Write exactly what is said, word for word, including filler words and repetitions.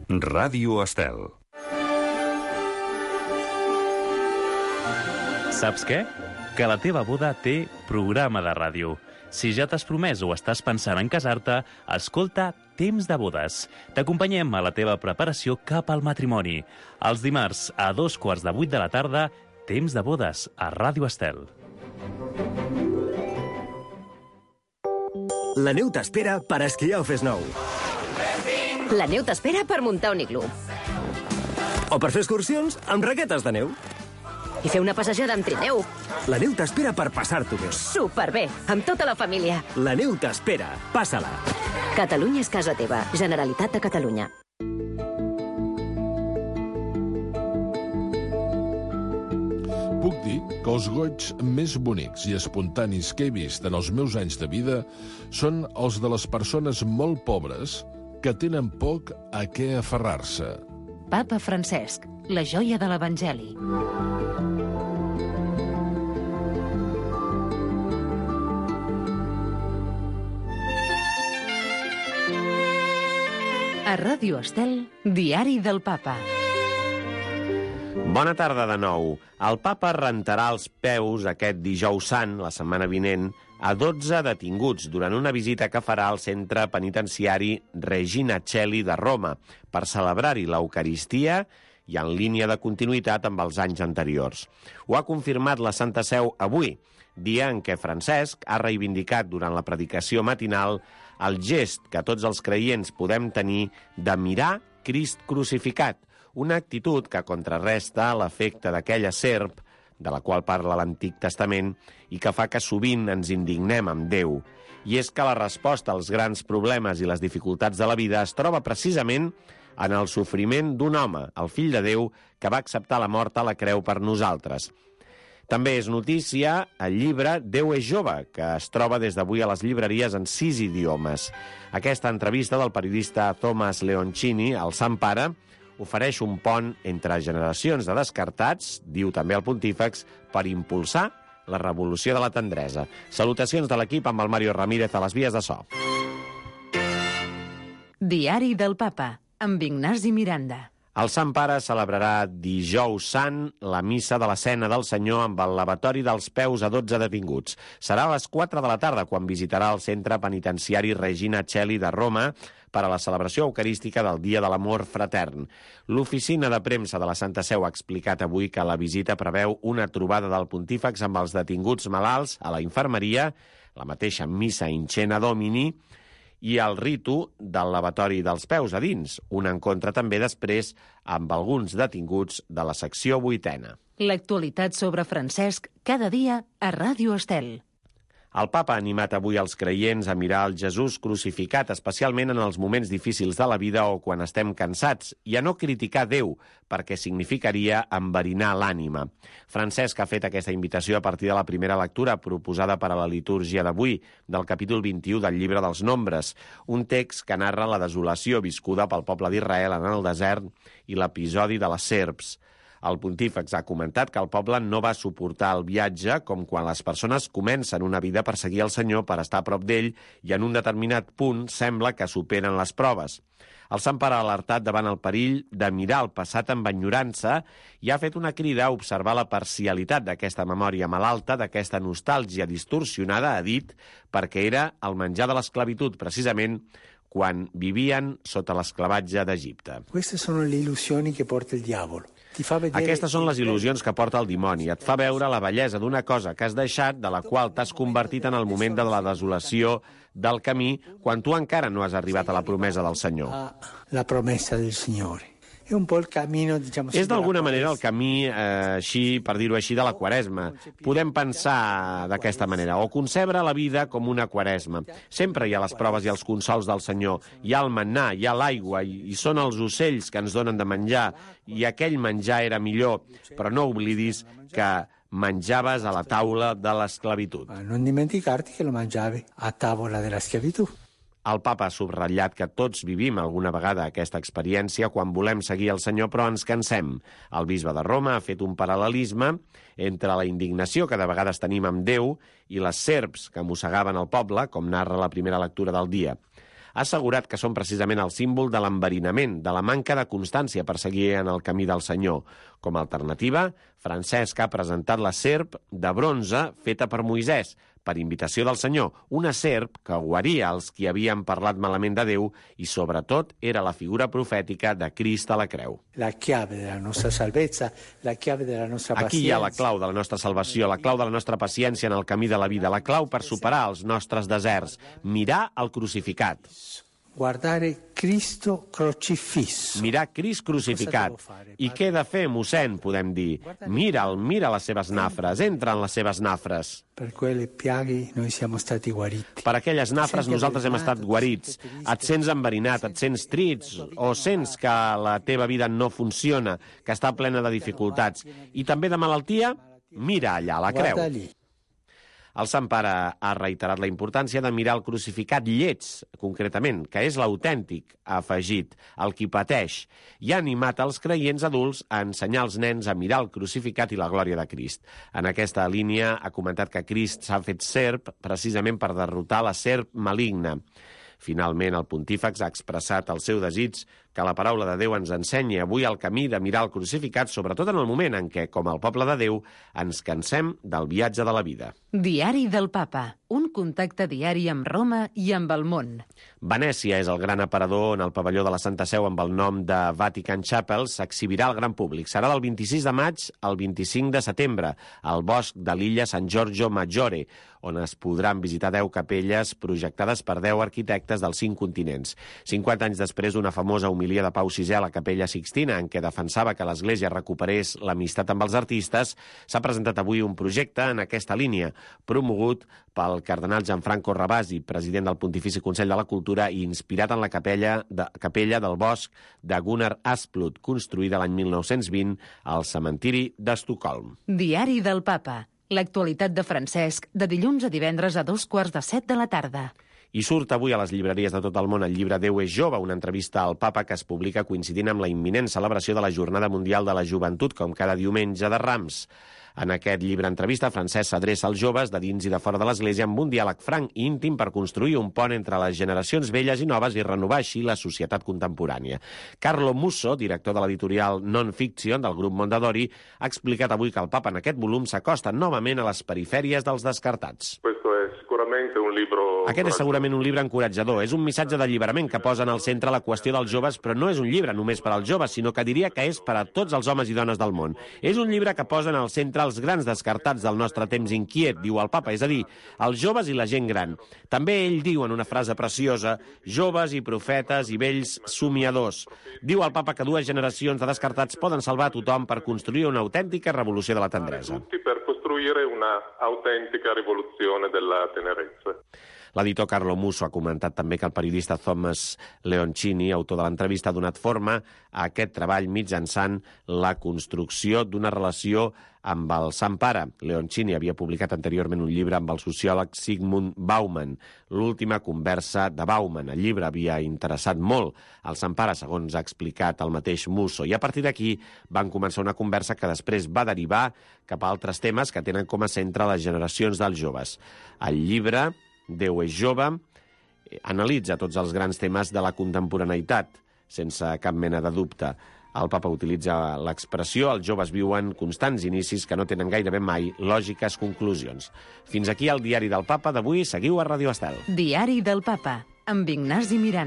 Ràdio Estel. Saps què? Que la teva boda té programa de ràdio. Si ja t'has promès o estàs pensant en casar-te, escolta Temps de Bodes. T'acompanyem a la teva preparació cap al matrimoni. Els dimarts a dos quarts de vuit de la tarda, Temps de Bodes a Ràdio Estel. La neu t'espera per esquiar o fes nou. La neu t'espera per muntar un iglú. O per fer excursions amb raquetes de neu. I fer una passejada amb trineu. La neu t'espera per passar-t'ho bé. Superbé, amb tota la família. La neu t'espera. Passa-la. Catalunya és casa teva. Generalitat de Catalunya. Puc dir que els goigs més bonics i espontanis que he vist en els meus anys de vida són els de les persones molt pobres que tenen poc a què aferrar-se. Papa Francesc, la joia de l'Evangeli. A Ràdio Estel, Diari del Papa. Bona tarda de nou. El papa rentarà els peus aquest dijous sant, la setmana vinent, a dotze detinguts durant una visita que farà al centre penitenciari Regina Coeli de Roma per celebrar-hi l'Eucaristia i en línia de continuïtat amb els anys anteriors. Ho ha confirmat la Santa Seu avui, dia en què Francesc ha reivindicat durant la predicació matinal el gest que tots els creients podem tenir de mirar Crist crucificat, una actitud que contrarresta l'efecte d'aquella serp, de la qual parla l'Antic Testament, i que fa que sovint ens indignem amb Déu. I és que la resposta als grans problemes i les dificultats de la vida es troba precisament en el sofriment d'un home, el fill de Déu, que va acceptar la mort a la creu per nosaltres. També és notícia el llibre Déu és jove, que es troba des d'avui a les llibreries en sis idiomes. Aquesta entrevista del periodista Thomas Leoncini, al Sant Pare, ofereix un pont entre generacions de descartats, diu també el pontífex, per impulsar la revolució de la tendresa. Salutacions de l'equip amb el Mario Ramírez a les vies de so. Diari del Papa, amb Ignasi Miranda. El Sant Pare celebrarà dijous sant la missa de la Cena del Senyor amb el lavatori dels peus a dotze detinguts. Serà a les quatre de la tarda quan visitarà el centre penitenciari Regina Coeli de Roma per a la celebració eucarística del Dia de l'Amor Fratern. L'oficina de premsa de la Santa Seu ha explicat avui que la visita preveu una trobada del pontífex amb els detinguts malalts a la infermeria, la mateixa missa in cena domini i el ritu del lavatori dels peus a dins, un encontre també després amb alguns detinguts de la secció vuitena. L'actualitat sobre Francesc cada dia a Ràdio Estel. El papa ha animat avui els creients a mirar el Jesús crucificat, especialment en els moments difícils de la vida o quan estem cansats, i a no criticar Déu, perquè significaria enverinar l'ànima. Francesc ha fet aquesta invitació a partir de la primera lectura proposada per a la litúrgia d'avui, del capítol vint-i-u del Llibre dels Nombres, un text que narra la desolació viscuda pel poble d'Israel en el desert i l'episodi de les serps. El pontífex ha comentat que el poble no va suportar el viatge com quan les persones comencen una vida per seguir el Senyor, per estar a prop d'ell, i en un determinat punt sembla que superen les proves. El Sant Pare ha alertat davant el perill de mirar el passat amb enyorança i ha fet una crida a observar la parcialitat d'aquesta memòria malalta, d'aquesta nostàlgia distorsionada, ha dit, perquè era el menjar de l'esclavitud, precisament, quan vivien sota l'esclavatge d'Egipte. Queste sono le illusioni che porta il diavolo. Aquestes són les il·lusions que porta el dimoni. Et fa veure la bellesa d'una cosa que has deixat, de la qual t'has convertit en el moment de la desolació del camí, quan tu encara no has arribat a la promesa del Senyor. La promesa del Signore. És d'alguna manera el camí, eh, així, per dir-ho així, de la Quaresma. Podem pensar d'aquesta manera, o concebre la vida com una Quaresma. Sempre hi ha les proves i els consols del Senyor. Hi ha el mannà, hi ha l'aigua, i, i són els ocells que ens donen de menjar, i aquell menjar era millor, però no oblidis que menjaves a la taula de l'esclavitud. No dimenticarti que lo mangiavi a tavola de la schiavitù. El papa ha subratllat que tots vivim alguna vegada aquesta experiència quan volem seguir el Senyor però ens cansem. El bisbe de Roma ha fet un paral·lelisme entre la indignació que de vegades tenim amb Déu i les serps que mossegaven el poble, com narra la primera lectura del dia. ha assegurat que són precisament el símbol de l'enverinament, de la manca de constància per seguir en el camí del Senyor. Com a alternativa, Francesc ha presentat la serp de bronze feta per Moisès, per invitació del Senyor, una serp que guaria els qui havien parlat malament de Déu i, sobretot, era la figura profètica de Crist a la creu. La chiave della nostra salvezza, la chiave della nostra pacienza. Aquí hi ha la clau de la nostra salvació, la clau de la nostra paciència en el camí de la vida, la clau per superar els nostres deserts, mirar el crucificat. Guardare Cristo crocifisso. Mirar Crist crucificat. I què he de fer, mossèn, podem dir? Mira'l, mira les seves nafres, entra en les seves nafres. Per quelle piaghe noi siamo stati guariti. Per aquelles nafres nosaltres hem estat guarits. Et sents enverinat, et sents trist, o sents que la teva vida no funciona, que està plena de dificultats, i també de malaltia? Mira allà, la creu. Guarda lì. El Sant Pare ha reiterat la importància de mirar el crucificat lleig, concretament, que és l'autèntic, ha afegit, el qui pateix, i ha animat els creients adults a ensenyar als nens a mirar el crucificat i la glòria de Crist. En aquesta línia ha comentat que Crist s'ha fet serp precisament per derrotar la serp maligna. Finalment, el pontífex ha expressat el seu desig que la paraula de Déu ens ensenyi avui el camí de mirar el crucificat, sobretot en el moment en què, com el poble de Déu, ens cansem del viatge de la vida. Diari del Papa, un contacte diari amb Roma i amb el món. Venècia és el gran aparador on el pavelló de la Santa Seu amb el nom de Vatican Chapel s'exhibirà al gran públic. Serà del vint-i-sis de maig al vint-i-cinc de setembre, al bosc de l'illa San Giorgio Maggiore, on es podran visitar deu capelles projectades per deu arquitectes dels cinc continents. cinquanta anys després d'una famosa homilia de Pau sisè a la Capella Sixtina, en què defensava que l'Església recuperés l'amistat amb els artistes, s'ha presentat avui un projecte en aquesta línia, promogut pel cardenal Gianfranco Ravasi, president del Pontifici Consell de la Cultura i inspirat en la capella, de, capella del bosc de Gunnar Asplund, construïda l'any mil nou-cents vint al cementiri d'Estocolm. Diari del Papa. L'actualitat de Francesc, de dilluns a divendres a dos quarts de set de la tarda. I surt avui a les llibreries de tot el món el llibre Déu és jove, una entrevista al papa que es publica coincidint amb la imminent celebració de la Jornada Mundial de la Joventut, com cada diumenge de Rams. En aquest llibre entrevista, Francesc s'adreça als joves de dins i de fora de l'Església amb un diàleg franc i íntim per construir un pont entre les generacions velles i noves i renovar així la societat contemporània. Carlo Musso, director de l'editorial Non-Fiction del grup Mondadori, ha explicat avui que el papa en aquest volum s'acosta novament a les perifèries dels descartats. Aquest és segurament un llibre encoratjador. És un missatge d'alliberament que posa en el centre la qüestió dels joves, però no és un llibre només per als joves, sinó que diria que és per a tots els homes i dones del món. És un llibre que posa en el centre els grans descartats del nostre temps inquiet, diu el papa, és a dir, els joves i la gent gran. També ell diu en una frase preciosa, joves i profetes i vells somiadors. Diu el papa que dues generacions de descartats poden salvar a tothom per construir una autèntica revolució de la tendresa. Una autèntica rivoluzione della tenerezza. L'editor Carlo Musso ha comentat també que el periodista Thomas Leoncini, autor de l'entrevista, ha donat forma a aquest treball mitjançant la construcció d'una relació amb el Sant Pare. Leoncini havia publicat anteriorment un llibre amb el sociòleg Zygmunt Bauman, l'última conversa de Bauman. El llibre havia interessat molt al Sant Pare, segons ha explicat el mateix Musso, i a partir d'aquí van començar una conversa que després va derivar cap a altres temes que tenen com a centre les generacions dels joves. El llibre Déu és jove analitza tots els grans temes de la contemporaneïtat, sense cap mena de dubte. El papa utilitza l'expressió «els joves viuen constants inicis que no tenen gairebé mai lògiques conclusions». Fins aquí el Diari del Papa d'avui. Seguiu a Ràdio Estel. Diari del Papa, amb Ignasi Miranda.